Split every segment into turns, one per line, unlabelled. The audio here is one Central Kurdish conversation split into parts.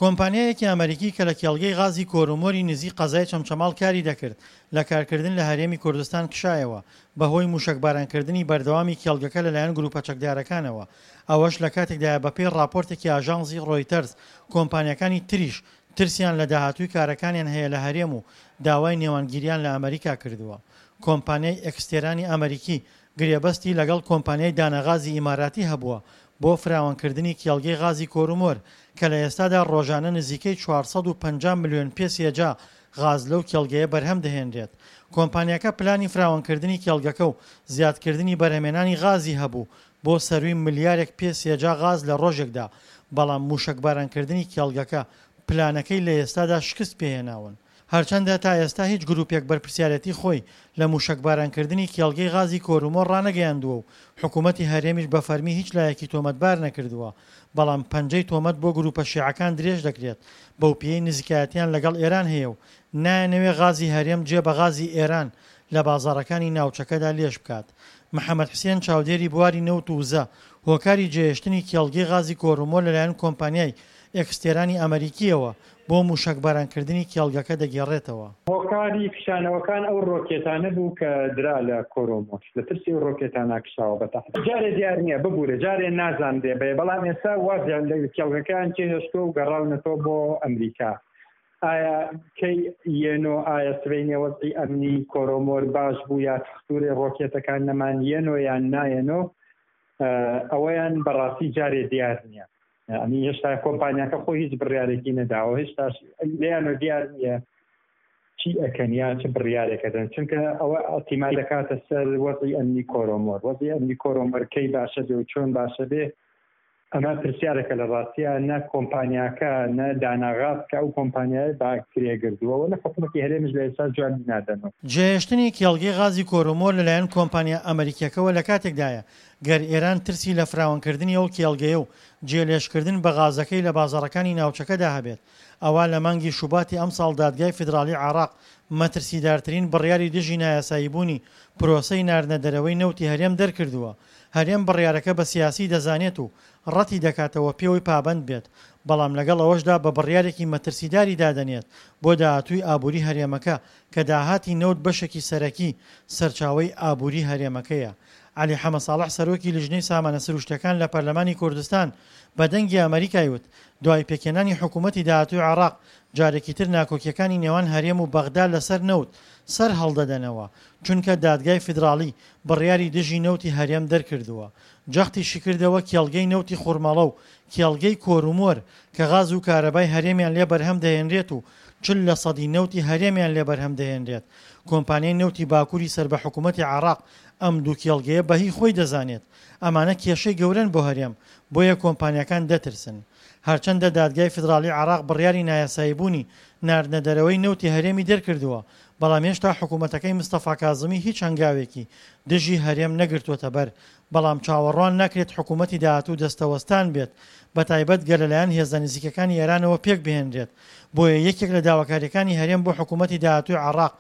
کۆمپانیایەکی ئەمەریکی کە لە کێڵگەی غازی کۆرومۆری نزیک قەزای چەمچەماڵ کاری دەکرد، لە کارکردن لە هەرێمی کوردستان کشایەوە، بەهۆی موشەکبارانکردنی بەردەوامی کێڵگەکە لەلایەن گروپە چەکدارەکانەوە، ئەوەش لەکاتێکدایە بەپێی ڕاپۆرتێکی ئاژانسی ڕۆیتەرز کۆمپانیاکانی تریش ترسیان لە داهاتووی کارەکانیان هەیە لە هەرێم و داوای نێوانگیریان لە ئەمەریکا کردووە. کۆمپانیای ئێکستێرانی ئەمەریکی گرێبەستی لەگەڵ کۆمپانیای دانەغازی ئیماراتی هەبووە بۆ فراوانکردنی کێڵگەی غازی کۆرومۆر کە لە ئێستادا ڕۆژانە نزیکەی 450 ملیۆن پێ سێجا غاز لەو کێڵگەیە بەرهەم دەهێنرێت. کۆمپانیاکە پلانی فراوانکردنی کێڵگەکە و زیادکردنی بەرهەمێنانی غازی هەبوو بۆ سەرووی ملیارێک پێ سێجا غاز لە ڕۆژێکدا، بەڵام مووشەکبارانکردنی کێڵگەکە پلانەکەی لە ئێستادا شکست پێهێناون. هەرچەندە تا ئێستا هیچ گروپێک بەرپرسیارێتی خۆی لە مووشەکبارانکردنی کێڵگەی غازی کۆرومۆر ڕانەگەیاندووە و حکوومەتی هەرێمیش بە فەرمی هیچ لایەکی تۆمەتبار نەکردووە، بەڵام پەنجەی تۆمەت بۆ گروپە شیعەکان درێژ دەکرێت بەوپێیەی نزیکایەتیان لەگەڵ ئێران هەیە و نایانەوێ غازی هەرێم جێ بە غازی ئێران لە بازاڕەکانی ناوچەکەدا لێژ بکات. محەمەد حسێن چاودێری بواری نەوت و وزە، هۆکاری جێهێشتنی کێڵگەی غازی کۆرومۆر لەلایەن کۆمپانیای ئێکستێرانی ئەمەریکییەوە بۆ مووشەکبارانکردنی کێڵگەکە دەگێڕێتەوە.
هۆکاری کشانەوەکان ئەو ڕۆکێتانە بوو کە درا لە کۆرۆمۆش، لە ترسی ئەو ڕۆکێتانە کشاوە بە تەحدید. جارێ دیار نییە، ببورە جارێ نازانرێ بەیە، بەڵام ئێستا وازیان لە کێڵگەکەیان جێهێشتووە و گەڕاونەتەوە بۆ ئەمریکا. ئایا کەی یەنۆ ئایا سبەینێ وەزعی ئەمنی کۆرۆمۆر باش بوو یا تختورێ ڕۆکێتەکان نەمان یەنۆ یان نایەنۆ ئەوەیان بەڕاستی جارێ دیار نییە ئەمی هێشتا کۆمپانیاکە خۆی هیچ بڕیارێکی نەداوە هێشتاش لێیانەوە دیار نییە چی ئەکەن یا چ بڕیارێکە دەن چونکە ئەوە ئەتیما دەکاتە سەر وەزعی ئەمنی کۆرۆمۆر وەزعی ئەمنی کۆرۆمۆر کەی باشە بێ و چۆن باشە بێ ئەمە پرسیارێکە لە ڕاستیا نە کۆمپانیاکە نە داناغاز کە ئەو کۆمپانیایە بە کرێ گردووە و نە حکومەتی هەرێمیش لە ئێستا جوابی نادەنەوە.
جێهێشتنی کێڵگەی غازی کۆرومۆر لەلایەن کۆمپانیا ئەمەریکیەکەوە لەکاتێکدایە، گەر ئێران ترسی لە فراوانکردنی ئەو کێڵگەیە و جێلێژکردن بە غازەکەی لە بازاڕەکانی ناوچەکەدا هەبێت، ئەوا لە مانگی شوباتی ئەمساڵ دادگای فیدراڵی عێراق مەترسیدارترین بڕیاری دژی نایاساییبوونی پرۆسەی ناردنە دەرەوەی نەوتی هەرێم دەرکردووە. هەرێم بڕیارەکە بە سیاسی دەزانێت و ڕەتی دەکاتەوە پێوەی پابەند بێت، بەڵام لەگەڵ ئەوەشدا بە بڕیارێکی مەترسیداری دادەنێت بۆ داهاتووی ئابووری هەرێمەکە کە داهاتی نەوت بەشێکی سەرەکی سەرچاوەی ئابووری هەرێمەکەیە. عەلی حەمەساڵح سەرۆکی لیژنەی سامانە سروشتیەکان لە پەرلەمانی کوردستان بە دەنگی ئەمەریکای وت، دوای پێکهێنانی حکومەتی داهاتووی عێراق جارێکی تر ناکۆکیەکانی نێوان هەرێم و بەغدا لەسەر نەوت سەر هەڵدەدەنەوە، چونکە دادگای فیدراڵی بڕیاری دژی نەوتی هەرێم دەرکردووە. جەختیشیکردەوە کێڵگەی نەوتی خورماڵە و کێڵگەی کۆرومۆر کە غاز و کارەبای هەرێمیان لێ بەرهەم دەهێنرێت و 40 لەسەدی نەوتی هەرێمیان لێ بەرهەم دەهێنرێت، کۆمپانیای نەوتی باکوری سەر بە حکومەتی عێراق ئەم دوو کێڵگەیە بە هی خۆی دەزانێت. ئەمانە کێشەی گەورەن بۆ هەرێم، بۆیە کۆمپانیاکان دەترسن. هەرچەندە دادگای فیدراڵی عێراق بڕیاری نایاساییبوونی ناردنەدەرەوەی نەوتی هەرێمی دەرکردووە، بەڵام هێشتا حکومەتەکەی مستەفا کازمی هیچ هەنگاوێکی دژی هەرێم نەگرتووەتەبەر، بەڵام چاوەڕوان ناکرێت حکومەتی داهاتوو دەستەوەستان بێت، بەتایبەت گەر لەلایەن هێزە نزیکەکانی ئێرانەوە پێکبهێنرێت، بۆیە یەکێک لە داواکارییەکانی هەرێم بۆ حکومەتی داهاتووی عێراق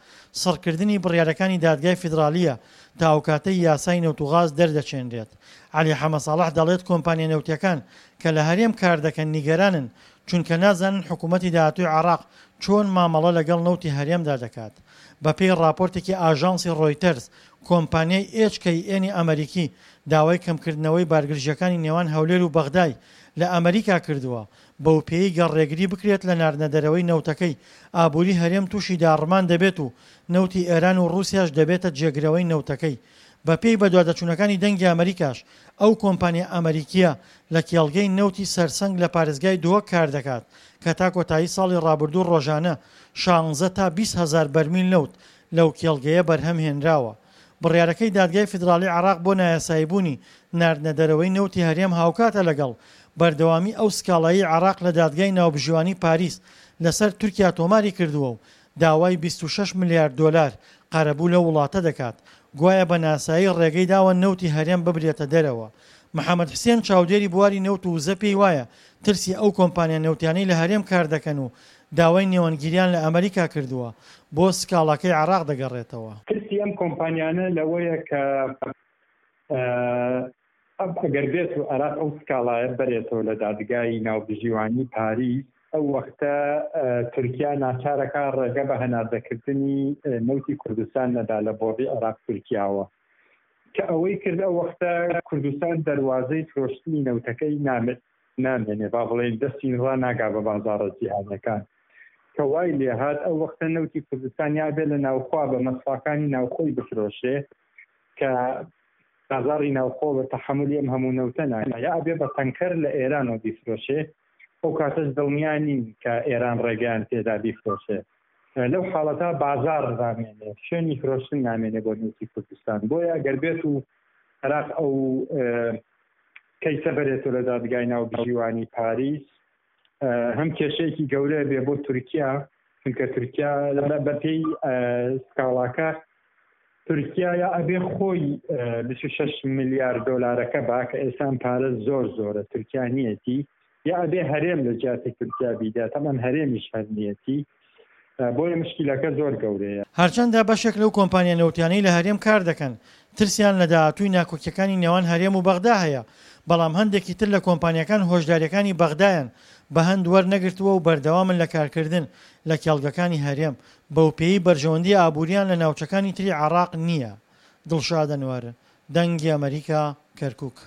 سڕکردنی بڕیارەکانی دادگای فیدراڵییە تا ئەوکاتەی یاسای نەوت و غاز دەردەچێنرێت. عەلی حەمەساڵح دەڵێت کۆمپانیا نەوتییەکان کە لە هەرێم کاردەکەن نیگەرانن چونکە نازانن حکومەتی داهاتووی عێراق چۆن مامەڵە لەگەڵ نەوتی هەرێمدا دەکات. بەپێی ڕاپۆرتێکی ئاژانسی ڕۆیتەرز، کۆمپانیای ئێچ کەی ئێنی ئەمەریکی داوای کەمکردنەوەی بارگرژییەکانی نێوان هەولێر و بەغدای لە ئەمەریکا کردووە، بەوپێیەی گەر ڕێگری بکرێت لە ناردنەدەرەوەی نەوتەکەی، ئابووری هەرێم تووشی داڕمان دەبێت و نەوتی ئێران و ڕووسیاش دەبێتە جێگرەوەی نەوتەکەی. بەپێی بەدواداچوونەکانی دەنگی ئەمەریکاش، ئەو کۆمپانیا ئەمەریکییە لە کێڵگەی نەوتی سەرسەنگ لە پارێزگای دهۆک کاردەکات کە تا کۆتایی ساڵی ڕابردوو ڕۆژانە شانزە تا 20 هەزار بەرمیل نەوت لەو کێڵگەیە بەرهەم هێنراوە. بڕیارەکەی دادگای فیدراڵی عێراق بۆ نایاساییبوونی ناردنەدەرەوەی نەوتی هەرێم هاوکاتە لەگەڵ بەردەوامی ئەو سکاڵایەی عێراق لە دادگای ناوبژیوانی پاریس لەسەر تورکیا تۆماری کردووە و داوای 26 ملیار دۆلار قەرەبوو لەو وڵاتە دەکات گوایە بە ناسایی ڕێگەی داوە نەوتی هەرێم ببرێتە دەرەوە. محەمەد حسێن چاودێری بواری نەوت و وزە پێی وایە ترسی ئەو کۆمپانیا نەوتیانەی لە هەرێم کار دەکەن و داوای نێوەندگیریان لە ئەمریکا کردووە بۆ سکاڵاکەی عێراق دەگەڕێتەوە.
ترسی ئەم کۆمپانیانە لەوەیە کە ئەگەر بێت و عێراق ئەو سکاڵایە بەرێتەوە لە دادگای ناوبژیوانی پاریس، ئەو وەختە تورکیا ناچارەکا ڕێگە بە هەناردەکردنی نەوتی کوردستان نەدا لە بۆڕی عێراق تورکیاوە. کە ئەوەی کرد ئەو وەختە کوردستان دەروازەی فرۆشتنی نەوتەکەی نامێنێ، با بڵێین دەستی ڕاناگا بە بازاڕە جیهانیەکان. کە وای لێهات ئەو وەختە نەوتی کوردستان یا بێ لە ناوخوا بە مەسفاکانی ناوخۆی بفرۆشێ کە بازاڕی ناوخۆ بە تەحەمولی ئەم هەموو نەوتە ناکا، یا ئەبێ بە تەنکەر لە ئێرانەوە بیفرۆشێ، ئەو کاتەش دڵنیا نین کە ئێران ڕێگەیان پێدا بیفرۆشێ. لەو حاڵەتە بازاڕ نامێنێ، شوێنی فرۆشتن نامێنێ بۆ نەوتی کوردستان. بۆیە ئەگەر بێت و عێراق ئەو کەیسە بەرێتەوە لە دادگای ناوبژیوانی پاریس، هەم کێشەیەکی گەورە بێ بۆ تورکیا، چونکە تورکیا بەپێی سکاڵاکە تورکیا یا ئەبێ خۆی 26 ملیار دۆلارەکە با کە ئێستا ئەم پارە زۆر زۆرە تورکیا نیەتی، یا ئەبێ هەرێم لە جیاتی تورکیا بیدا، تەبعەن هەرێمیش هەر نیەتی، بۆیە مشکیلەکە زۆر گەورەیە.
هەرچەندە بەشێک لەو کۆمپانیا نەوتیانەی لە هەرێم کار دەکەن ترسیان لە داهاتووی ناکۆکیەکانی نێوان هەرێم و بەغدا هەیە، بەڵام هەندێکی تر لە کۆمپانیاکان هۆشداریەکانی بەغدایان بە هەند وەرنەگرتووە و بەردەوامن لە کارکردن لە کێڵگەکانی هەرێم، بەوپێیەی بەرژەوەندی ئابووریان لە ناوچەکانی تری عێراق نییە. دڵشاد ئەنوەر، دەنگی ئەمەریکا، کەرکوک.